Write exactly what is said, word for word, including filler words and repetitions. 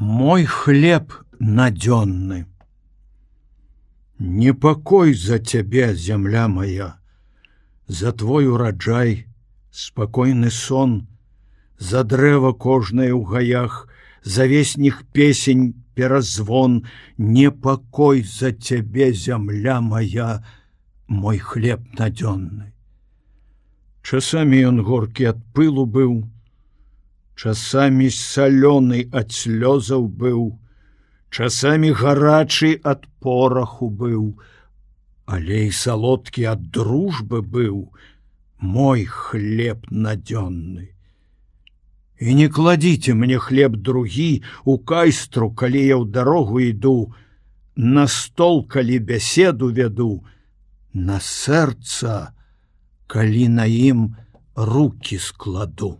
Мой хлеб надзённы. Непакой за цябе, зямля моя, за твой ураджай, спакойны сон, за дрэва кожнае ў гаях, за весніх песень перазвон, непакой за цябе, зямля моя, мой хлеб надзённы. Часамі ён горкі ад пылу быў, часамі салёны ад слёзаў быў, часамі гарачы ад пораху быў, але і салодкі ад дружбы быў, мой хлеб надзённы. І не кладіце мне хлеб другі у кайстру, калі я ў дарогу іду, на стол, калі бяседу вяду, на сэрца, калі на ім руки складу.